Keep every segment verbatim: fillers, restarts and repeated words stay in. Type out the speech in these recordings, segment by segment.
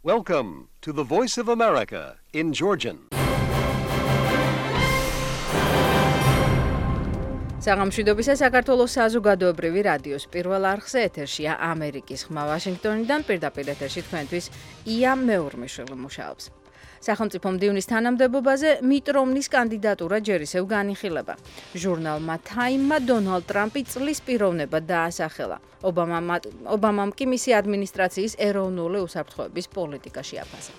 Welcome to the Voice of America in Georgian. საღამშვიდობისა საქართველოს საზოგადოებრივი რადიოს პირველ არხზე ეთერშია ამერიკის ხმა ვაშინგტონიდან პირდაპირ ეთერში თქვენთვის ია მეურმიშვილი მუშაობს. სახელმწიფო მდივნის თანამდებობაზე მიტ რომნის კანდიდატურა ჯერ ისევ განიხილება. ჟურნალმა Time-მა დონალდ ტრამპი წლის პიროვნება დაასახელა. ობამამ ობამამ კი მისი ადმინისტრაციის ეროვნული უსაფრთხოების პოლიტიკაში აფასა.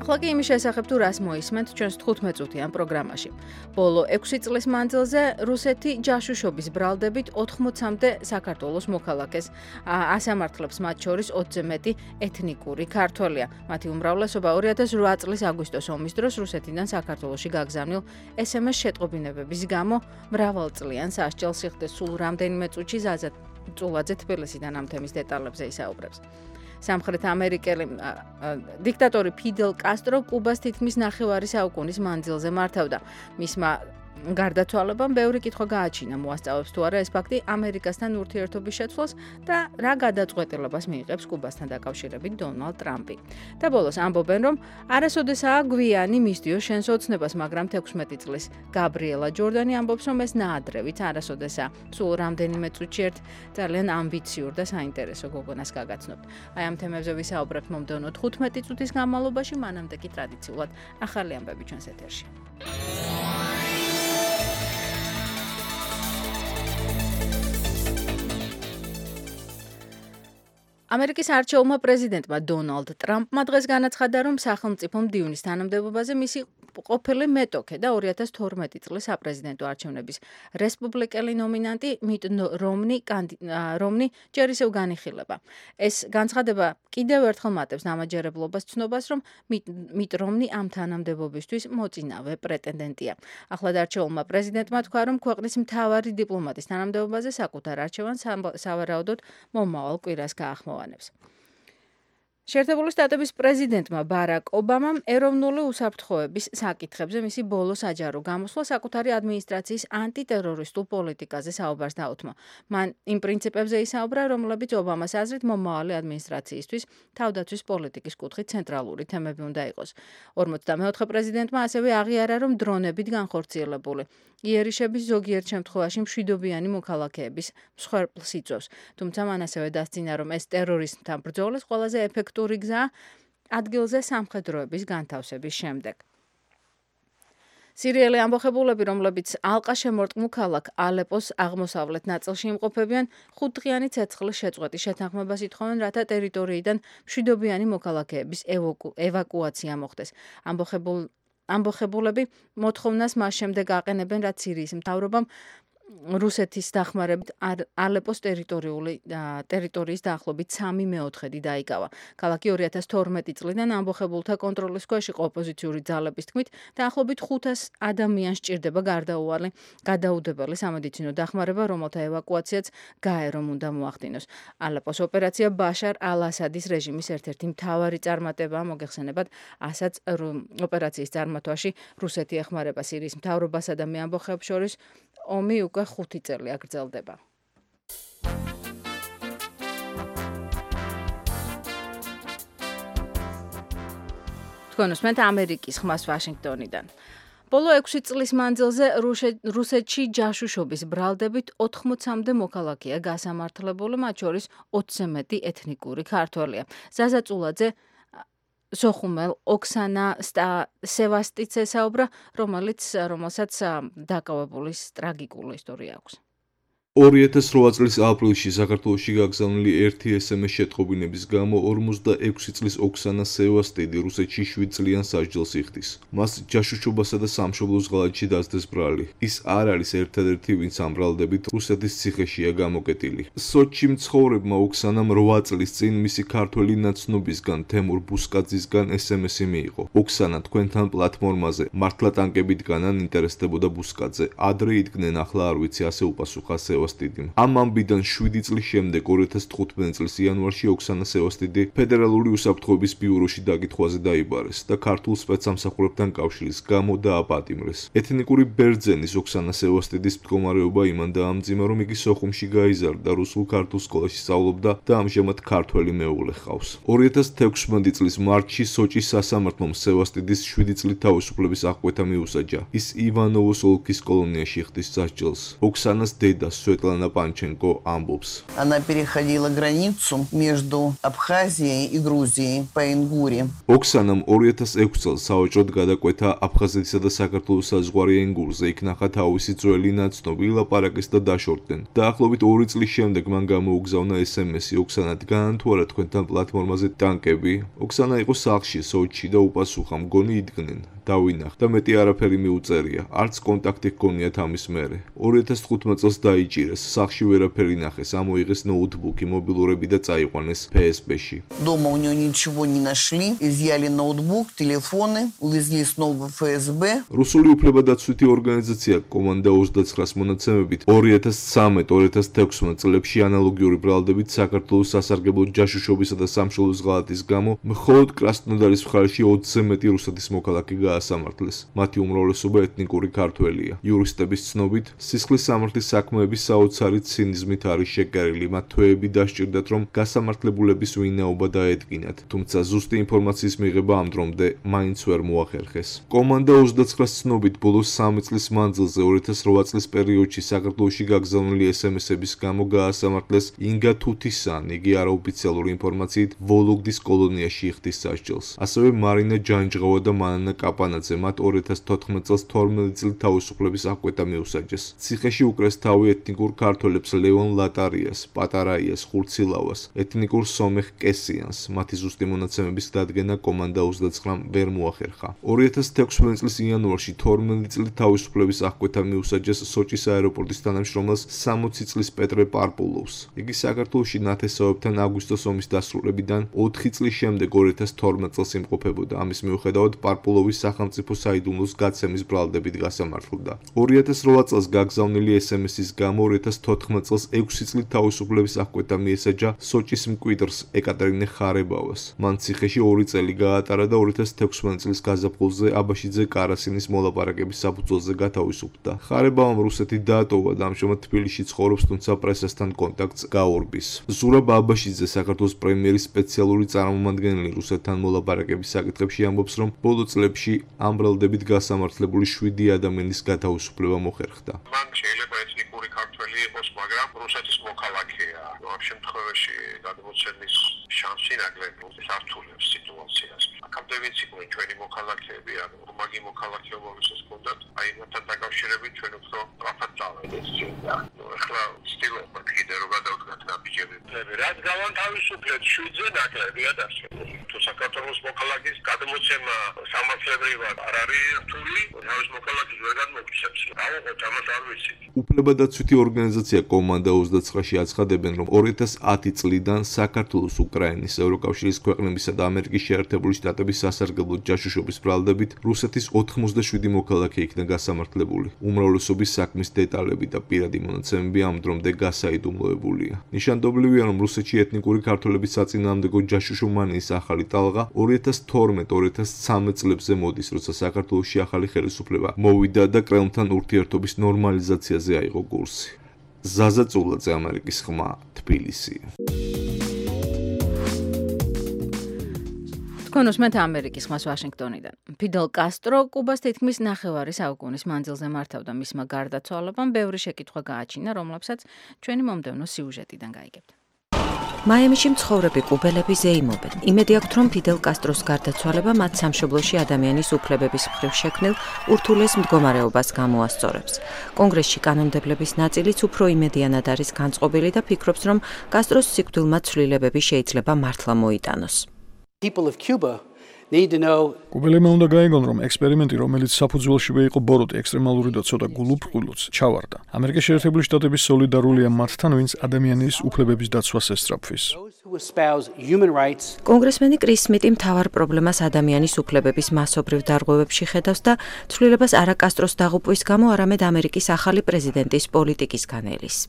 ახლა კი იმის შესახებ თუ რას მოისმენთ ჩვენს თხუთმეტ-წუთიან პროგრამაში. ბოლო ექვსი წლის მანძილზე რუსეთი ჯაშუშობის ბრალდებით ოთხმოცამდე საქართველოს მოქალაქეს ასამართლებს, მათ შორის ოცზე მეტი ეთნიკური ქართველია. მათი უმრავლესობა ორი ათას ოთხ წლის აგვისტოს ომის დროს რუსეთიდან საქართველოში გაგზავნილ ეს ემ ეს შეტყობინებების გამო მრავალწლიან სასჯელს იხდეს. სულ რამდენიმე წუთში ზაზა წულაძე თბილისიდან ამ თემის დეტალებზე ისაუბრებს. სამხრეთ ამერიკელი დიქტატორი ფიდელ კასტრო კუბას თითქმის ნახევარი საუკუნის მანძილზე მართავდა. მისმა გარდაცვალებამ ბევრი კითხვა გააჩინა, მოასწავებს თუ არა ეს ფაქტი ამერიკასთან ურთიერთობის შეცვლას და რა გადაწყვეტილებას მიიღებს კუბასთან დაკავშირებით დონალდ ტრამპი. და ბოლოს ამბობენ, რომ არასოდესაა გვიანი მისდიო შენს ოცნებას, მაგრამ თექვსმეტი წლის გაბრიელა ჯორდანი ამბობს, რომ ეს ნაადრევით არასოდესაა. სულ რამდენიმე წუთში ერთ ძალიან ამბიციურ და საინტერესო გოგონას გაგაცნობთ. აი ამ თემებზე ვისაუბრებთ მომდევნო თხუთმეტი წუთის განმავლობაში, მანამდე კი ტრადიციულად ახალი ამბები ჩვენს ეთერში. ამერიკის არჩეულმა პრეზიდენტმა დონალდ ტრამპმა დღეს განაცხადა, რომ სახელმწიფო მდივნის თანამდებობაზე მისი ყოფილი მეტოქე და ორი ათას თორმეტი წლის საპრეზიდენტო არჩევნების რესპუბლიკელი ნომინანტი მიტ რომნი რომნი ჯერ ისევ განიხილება. ეს განცხადება კიდევ ერთხელ მატებს დამაჯერებლობას ცნობას, რომ მიტ რომნი ამ თანამდებობისთვის მოწინავე პრეტენდენტია. ახლად არჩეულმა პრეზიდენტმა თქვა, რომ ქვეყნის მთავარი დიპლომატის თანამდებობაზე საკუთარ არჩევანს სავარაუდოდ მომავალ კვირას გაახმოვანებს. შეერთებული შტატების პრეზიდენტმა ბარაკ ობამამ ეროვნული უსაფრთხოების საკითხებზე მისი ბოლო საჯარო გამოსვლა საკუთარი ადმინისტრაციის ანტიტერორისტულ პოლიტიკაზე საუბარს დაუთმო. მან იმ პრინციპებზე ისაუბრა, რომლებიც ობამას აზრით მომავალი ადმინისტრაციისთვის თავდაცვის პოლიტიკის კუთხით ცენტრალური თემები უნდა იყოს. ორმოცდამეოთხე პრეზიდენტმა ასევე აღიარა, რომ დრონებით განხორციელებული იერიშების ზოგიერთ შემთხვევაში მშვიდობიანი მოქალაქეების მსხვერპლს იწვევს. თუმცა მან ასევე დასძინა, რომ ეს ტერორიზმთან ბრძოლის ყველაზე ეფექტური გზაა ადგილზე სამხედროების განთავსების შემდეგ. სირიელი ამბოხებულები, რომლებიც ალყა-შემორტყმულ ქალაქ ალეპოს აღმოსავლეთ ნაწილში იმყოფებიან, ხუთდღიანი ცეცხლის შეწყვეტის შეთანხმებას ითხოვენ, რათა ტერიტორიიდან მშვიდობიანი მოქალაქეების ევაკუაცია მოხდეს. ამბოხებულ ამბოხებულები მოთხოვნას მას შემდეგ აყენებენ, რაც სირიის მთავრობამ რუსეთის დახმარებით ალეპოს ტერიტორიული ტერიტორიის დაახლოებით სამი მეოთხედი დაიკავა. ქალაქი ორი ათას თორმეტი წლიდან ამბოხებულთა კონტროლის ქვეშ იყო ოპოზიციური ძალების თქმით, დაახლოებით ხუთას ადამიანს სჭირდება გარდაუვალი გადაუდებელი სამედიცინო დახმარება, რომელთა ევაკუაციაც გაერომ უნდა მოახდინოს. ალეპოს ოპერაცია ბაშარ ალ-ასადის რეჟიმის ერთ-ერთი მთავარი წარმატებაა, მოგეხსენებათ, ასაც ოპერაციის წარმატვაში რუსეთი ეხმარება სირიის მთავრობასა და მეამბოხეებს შორის ომი უკვე ხუთი წელი აგრძელდება. თქვენ უსმენთ ამერიკის ხმას ვაშინგტონიდან. ბოლო ექვსი წლის მანძილზე რუსეთში ჯაშუშობის ბრალდებით ოთხმოცამდე მოქალაქეა გასამართლებული, მათ შორის ოცზე მეტი ეთნიკური ქართველია. ზაზა წულაძე სოხუმელ ოქსანა სევასტიც ესაუბრა, რომელიც რომელსაც დაკავებული ტრაგიკული ისტორია აქვს. ორი ათას რვა წლის აპრილში საქართველოში გაგზავნილი ერთი ეს ემ ეს შეტყობინების გამო ორმოცდაექვსი წლის ოქსანა სევასტიდი რუსეთში შვიდ წლიან სასჯელს იხდის. მას ჯაშუშობასა და სამშობლოს ღალატში დასდეს ბრალი. ის არ არის ერთადერთი, ვინც ამ ბრალდებით რუსეთის ციხეშია გამოკეტილი. სოჩში მცხოვრებმა ოქსანამ რვა წლის წინ მისი ქართველი ნაცნობისგან თემურ ბუსკაძისგან ეს ემ ესი მიიღო. ოქსანა თქვენთან პლატფორმაზე მართლა ტანკებით განან ინტერესდებოდა ბუსკაძე. ადრე იდგნენ, ახლა არ ვიცი, ასე უპასუხა სევასტიდი. სევასტიდიმ. ამ ამბიდან შვიდი წლის შემდეგ ორი ათას თხუთმეტი წლის იანვარში ოქსანა სევასტიდი ფედერალური უსაფრთხოების ბიუროში დაკითხვაზე დაიბარეს და ქართულ სპეცსამსახურებთან კავშირის გამო დააპატიმრეს. ეთნიკური ბერძენის ოქსანა სევასტიდის მდგომარეობა იმან დაამძიმა, რომ იგი სოხუმში გაიზარდა, რუსულ-ქართულ სკოლაში სწავლობდა და ამჟამად ქართველი მეუღლე ჰყავს. ორი ათას თექვსმეტი წლის მარტში სოჭის სასამართლომ სევასტიდის შვიდი წლით თავისუფლების აღკვეთა მიუსაჯა. ის ივანოვოს ოლქის კოლონიაში ხდის სასჯელს. ოქსანას დედა სვეტლანა პანჩენკო ამბობს. Она переходила границу между Абхазией и Грузией по Ингуре. ოქსანამ ორი ათას ექვსი წელს საოჭროდ გადაკვეთა აფხაზეთისა და საქართველოს საზღვარი ენგურზე, იქ ნახა თავისი ძველი ნაცნობი, ილაპარაკეს და დაშორდნენ. დაახლოებით ორი წლის შემდეგ მან გამოუგზავნა ესემესი ოქსანა დგანან თუ არა თქვენთან პლატფორმაზე ტანკები. ოქსანა იყო სახლში სოჭში და უპასუხა, მგონი იდგნენ. დავინახ და მეტი არაფერი მიუწერია. არც კონტაქტი ჰქონიათ ამის მერე. ორი ათას თხუთმეტი წელს დაიჭირეს, сахში ვერაფერი ნახეს, ამოიღეს ноутбуки, მობილურები და წაიყვანეს пэ эс бэ-ში. Дома у него ничего не нашли, изъяли ноутбук, телефоны, увезли снова в эф эс бэ. რუსული უფლებადაცვითი ორგანიზაცია კომანდა ოცდაცხრას მონაცემებით ორი ათას ცხრამეტ ორი ათას თექვსმეტ წლებში ანალოგიური ბრალდებით საქართველოს სასარგებლო ჯაშუშობისა და სამშობლოს ღალატის გამო მხოლოდ კრასნოდარის მხარეში ოცზე მეტი რუსეთის მოქალაქე გაასამართლეს. მათი უმრავლესობა ეთნიკური ქართველია. იურისტების ცნობით, სისხლის სამართლის საქმეების საოცარი ცინიზმით არის შეკერილი. მათ თვეები დასჭირდათ, რომ გასამართლებულების ვინაობა დაედგინათ, თუმცა ზუსტი ინფორმაციის მიღება ამ დრომდე მაინც ვერ მოახერხეს. კომანდა ოცდაცხრას ცნობით, ბოლოს სამი წლის მანძილზე ორი ათას რვა წლის პერიოდში საქართველოში გაგზავნილი ესემესების გამო გაასამართლეს ინგა თუთისან, იგი არაოფიციალური ინფორმაციით ვოლოგდის კოლონიაში იხდის სასჯელს. ასევე მარინა ჯანჯღავა და მანანა კაპანაძე მათ ორი ათას თოთხმეტი წელს თორმეტი წლით თავისუფლების აღკვეთა მიუსაჯეს. ციხეში უკრეს თავი ეთნიკურ ქართველებს ლევონ ლატარიას, პატარაიას, ხურცილავას, ეთნიკურ სომეხ კესიანს. მათი ზუსტი მონაცემების დადგენა კომანდა ოცდაცხრამ ვერ მოახერხა. ორი ათას თექვსმეტი წლის იანვარში თორმეტი წლით თავისუფლების აღკვეთა მიუსაჯეს სოჭის აეროპორტის თანამშრომელს სამოცი წლის პეტრე პარპულოვს. იგი საქართველოში ნათესავებთან აგვისტოს ომის დასრულებიდან ოთხი წლის შემდეგ ორი ათას თორმეტი წელს იმყოფებოდა. ამის მიუხედავად პარპულოვის სახელმწიფო საიდუმლოს გაცემის ბრალდებით გასამართლდა. ორი ათას რვა წელს გაგზავნილი ესემესის გამო ორი ათას თოთხმეტი წელს ექვსი წლით თავისუფლების აღკვეთა მიესაჯა სოჭის მკვიდრს ეკატერინე ხარებავას. მან ციხეში ორი წელი გაატარა და ორი ათას თექვსმეტი წლის გაზაფხულზე აბაშიძე კარასინის მოლაპარაკების საფუძველზე გათავისუფლდა. ხარებავამ რუსეთი დაატოვა და ამჟამად თბილისში ცხოვრობს, თუმცა პრესასთან კონტაქტს გაურბის. ზურაბ აბაშიძე, საქართველოს პრემიერის სპეციალური წარმომადგენელი რუსეთთან მოლაპარაკების საკითხებში ამბობს, რომ ბოლო წლებში ამ ბრალდებით გასამართლებული შვიდი ადამიანის გათავისუფლება მოხერხდა. მან შეიძლება ეთნიკური ქართველი იყოს, მაგრამ რუსეთის მოქალაქეა. ამ შემთხვევაში გადმოცემის შანსი ნაკლები სართულებს სიტუაციას. აქამდე ვიცი, რომ ჩვენი მოქალაქეები ან ორმაგი მოქალაქეობა ვისაც ჰქონდათ, აი მათთან დაკავშირებით ჩვენ უფრო სწრაფად წავედით წინდა. ნუ ახლა ცდილობთ კიდევ რომ გადავდგათ ნაბიჯები. რაც გავანთავისუფლეთ შვიდზე ნაკლებია დასრულებული. თუ საქართველოს მოქალაქის გადმოცემა სამართლებრივად არ არის რთული, თავის მოქალაქეს ვერ გადმოგცემს. დავუყოთ ამას არ ვიცი. უფლებადაცვითი ორგანიზაცია კომანდა ოცდაცხრაში აცხადებენ, რომ ორი ათას ათი წლიდან საქართველოს, უკრაინის, ევროკავშირის ქვეყნებისა და ამერიკის შეერთებული შტატების სასარგებლო ჯაშუშობის ბრალდებით რუსეთის ოთხმოცდაშვიდი მოქალაქე იქნა გასამართლებული. უმრავლესობის საქმის დეტალები და პირადი მონაცემები ამ დრომდე გასაიდუმლოებულია. ნიშანდობლივია, რომ რუსეთში ეთნიკური ქართველების საწინააღმდეგო ჯაშუშობმანიის ახალი ტალღა ორი ათას თორმეტ ორი ათას ცხრამეტ წლებზე მოდის, როცა საქართველოში ახალი ხელისუფლება მოვიდა და კრემლთან ურთიერთობის ნორმალიზაციაზე აიღო კურსი. ზაზა წულაძე, ამერიკის ხმა, თბილისი. თქვენ უსმენთ ამერიკის ხმას ვაშინგტონიდან. ფიდელ კასტრო კუბას თითქმის ნახევარი საუკუნის მანძილზე მართავდა. მისმა გარდაცვალებამ ბევრი შეკითხვა გააჩინა, რომლებსაც ჩვენი მომდევნო სიუჟეტიდან გაიგებთ. მაიამიში მცხოვრები კუბელები ზეიმობენ. იმედი აქვთ, რომ ფიდელ კასტროს გარდაცვალება მათ სამშობლოში ადამიანის უფლებების მხრივ შექმნილ ურთულეს მდგომარეობას გამოასწორებს. კონგრესში კანონმდებლების ნაწილიც უფრო იმედიანად არის განწყობილი და ფიქრობს, რომ კასტროს სიკვდილმა ცვლილებები შეიძლება მართლა მოიტანოს. კუბელებმა უნდა გაიგონ, რომ ექსპერიმენტი, რომელიც საფუძველშივე იყო ბოროტი, ექსტრემალური და ცოტა გულუფრყვილოც, ჩავარდა. ამერიკის შეერთებული შტატების სოლიდარულია მათთან, ვინც ადამიანის უფლებების დაცვას ესწრაფვის. კონგრესმენი კრის სმიტი მთავარ პრობლემას ადამიანის უფლებების მასობრივ დარღვევებში ხედავს და ცვლილებას არა კასტროს დაღუპვის გამო, არამედ ამერიკის ახალი პრეზიდენტის პოლიტიკისგან ელის.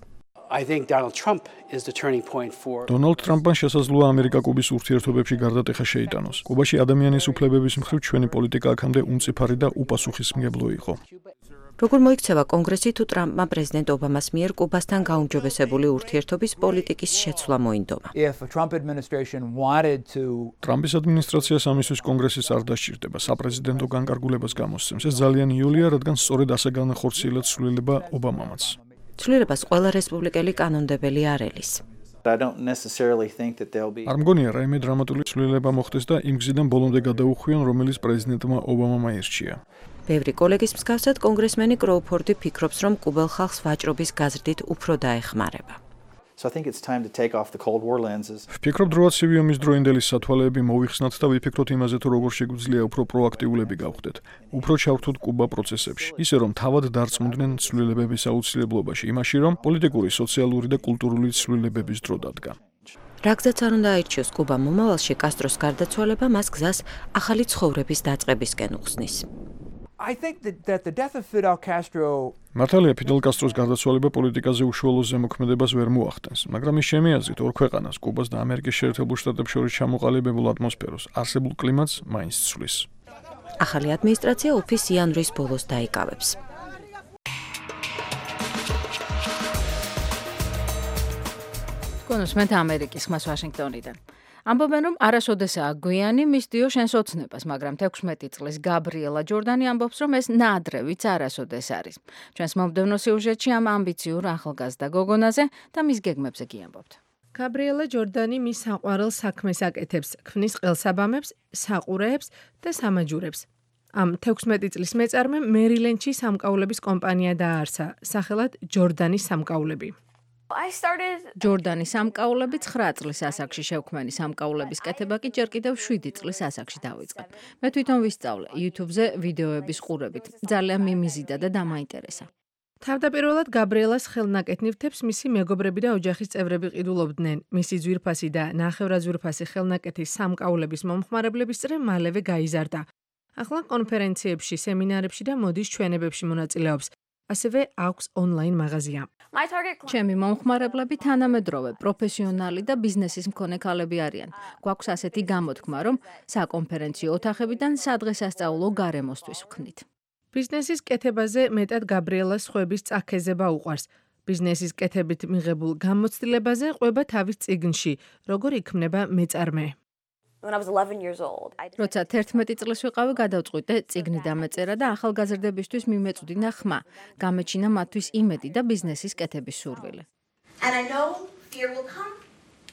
I think Donald Trump is the turning point for Donald Trump-ან შესაძლოა ამერიკა-კუბის ურთიერთობებში გარდატეხა შეიტანოს. კუბაში ადამიანის უფლებების მხრივ ჩვენი პოლიტიკა აქამდე უმწიფარი და უპასუხისმგებლო იყო. როგორ მოიქცევა კონგრესი თუ ტრამპმა პრეზიდენტ ობამას მიერ კუბასთან გაუმჯობესებული ურთიერთობის პოლიტიკის შეცვლა მოინდომა. ტრამპის ადმინისტრაციას ამისთვის კონგრესის არ დასჭირდება საპრეზიდენტო განკარგულებას გამოსცემს. ეს ძალიან იოლია, რადგან სწორედ ასე განახორციელეთ ცვლილება ობამამაც. ცვლილებას ყველა რესპუბლიკელი კანონმდებელი არ ელის. არ მგონია რაიმე დრამატული ცვლილება მოხდეს და იმ გზიდან ბოლომდე გადაუხვიონ, რომელიც პრეზიდენტმა ობამამ აირჩია. ბევრი კოლეგის მსგავსად კონგრესმენი კროუფორდი ფიქრობს, რომ კუბელ ხალხს ვაჭრობის გაზრდით უფრო დაეხმარება. ვფიქრობ, დროა ცივი ომის დროინდელი სათვალეები მოვიხსნათ და ვიფიქროთ იმაზე, თუ როგორ შეგვიძლია უფრო პროაქტიულები გავხდეთ, უფრო ჩავთვლოთ კუბა პროცესებში, ისე რომ თავად დარწმუნდნენ ცვლილებების აუცილებლობაში, იმაში, რომ პოლიტიკური, სოციალური და კულტურული ცვლილებების დრო დადგა. რა გზაც არ უნდა აირჩიოს კუბა მომავალში კასტროს გარდაცვალება მას გზას ახალი ცხოვრების დაწყებისკენ უხსნის. I think that, that the death of Fidel Castro მართალია ფიდელ კასტროს გარდაცვალება პოლიტიკაზე უშუალო ზემოქმედებას ვერ მოახდენს, მაგრამ ის ჩემი აზრით ორ ქვეყანას, კუბას და ამერიკის შეერთებულ შტატებს შორის ჩამოყალიბებულ ატმოსფეროს, არსებულ კლიმატს მაინც ცვლის. ახალი ადმინისტრაცია უფის იანვრის ბოლოს დაიკავებს. კონსმეთ ამერიკის ხმას ვაშინგტონიდან. ამბობენ, რომ არასოდესაა გვიანი მისდიო შენს ოცნებას, მაგრამ თექვსმეტი წლის გაბრიელა ჯორდანი ამბობს, რომ ეს ნაადრევიც არასოდეს არის. ჩვენს მომდევნო სიუჟეტში ამ ამბიციურ ახალგაზრდა გოგონაზე და მის გეგმებზე გიამბობთ. გაბრიელა ჯორდანი მის საყვარელ საქმეს აკეთებს, ქმნის ყელსაბამებს, საყურეებს და სამაჯურებს. ამ თექვსმეტი წლის მეწარმემ მერილენდში სამკაულების კომპანია დააარსა, სახელად ჯორდანის სამკაულები. ჯორდანის სამკაულები ცხრა წლის ასაკში შევქმენი სამკაულების კეთება კი ჯერ კიდევ შვიდი წლის ასაკში დავიწყე. მე თვითონ ვისწავლე YouTube-ზე ვიდეოების ყურებით. ძალიან მიმიზიდა და დამაინტერესა. თავდაპირველად გაბრიელას ხელნაკეთნივთებს მისი მეგობრები და ოჯახის წევრები ყიდულობდნენ. მისი ძვირფასი და ნახევრაძვირფასი ხელნაკეთის სამკაულების მომხმარებლების წრე მალევე გაიზარდა. ახლა კონფერენციებში, სემინარებში და მოდის ჩვენებებში მონაწილეობს. ასევე აქვს ონლაინ მაღაზია. ჩემი მომხმარებლები თანამედროვე, პროფესიონალი და ბიზნესის მქონე ქალები არიან. გვაქვს ასეთი გამოთქმა, რომ საკონფერენციო ოთახებიდან სადღესასწაულო გარემოსთვის ვქნით. ბიზნესის კეთებაზე მეტად გაბრიელას ხვების წაქეზება უყვარს. ბიზნესის კეთებით მიღებულ გამოცდილებაზე ყვება თავის წიგნში, როგორ იქმნება მეწარმე. როცა თერთმეტი წლის ვიყავი, გადავწყვიტე წიგნი დამეწერა და ახალგაზრდებისთვის მიმეწვდინა ხმა. გამეჩინა მათთვის იმედი და ბიზნესის კეთების სურვილი.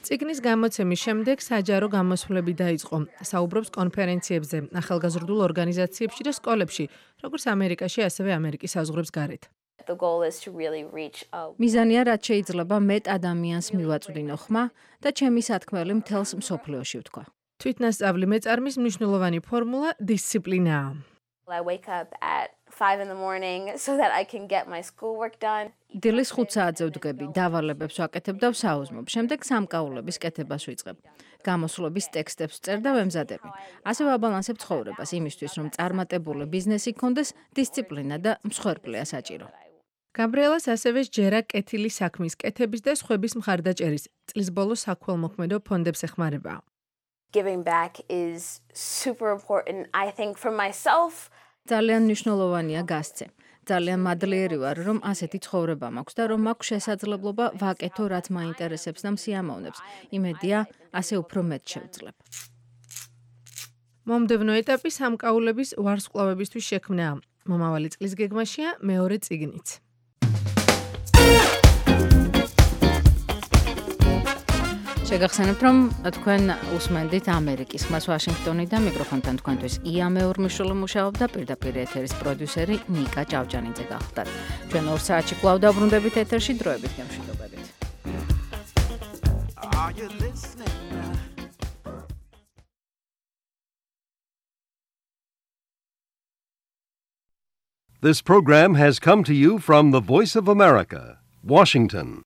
წიგნის გამოცემის შემდეგ საჯარო გამოსვლები დაიწყო. საუბრობს კონფერენციებზე, ახალგაზრდულ ორგანიზაციებში და სკოლებში, როგორც ამერიკაში, ასევე ამერიკის საზღვრებს გარეთ. მიზანია, რაც შეიძლება მეტ ადამიანს მივაწვდინო ხმა და ჩემი სათქმელი მთელს მსოფლიოში ვთქვა. თვითნასწავლი მეწარმის მნიშვნელოვანი ფორმულა დისციპლინაა. დილის ხუთ საათზე ვდგები, დავალებებს ვაკეთებ და ვსაუზმობ, შემდეგ სამკაულების კეთებას ვიწყებ. გამოსვლების ტექსტებს ვწერ და ვემზადები. ასე ვაბალანსებ ცხოვრებას იმისთვის, რომ წარმატებული ბიზნესი გქონდეს, დისციპლინა და მსხვერპლია საჭირო. გაბრიელას ასევე სჯერა კეთილი საქმის კეთების და სხვების მხარდაჭერის, წლის ბოლოს საქველმოქმედო ფონდებს ეხმარება. Giving back is super important, I think, for myself. ძალიან მნიშვნელოვანია გასცე. ძალიან მადლიერი ვარ, რომ ასეთი ცხოვრება მაქვს და რომ მაქვს შესაძლებლობა ვაკეთო, რაც მაინტერესებს და მსიამოვნებს. იმედია, ასე უფრო მეტ შევძლებ. მომდევნო ეტაპი სამკაულების ვარსკვლავებისთვის შექმნაა. მომავალი წლის გეგმაშია მეორე წიგნიც. შეგახსენებთ, რომ თქვენ უსმენდით ამერიკის ხმას ვაშინგტონიდან, მიკროფონთან თქვენთვის ია მეორმიშვილი მუშაობდა, პირდაპირ ეთერის პროდიუსერი ნიკა ჭავჭანიძე გახლდათ. ჩვენ ორ საათში კვლავ დაბრუნდებით ეთერში, დროებით გემშვიდობებით. This program has come to you from the Voice of America, Washington.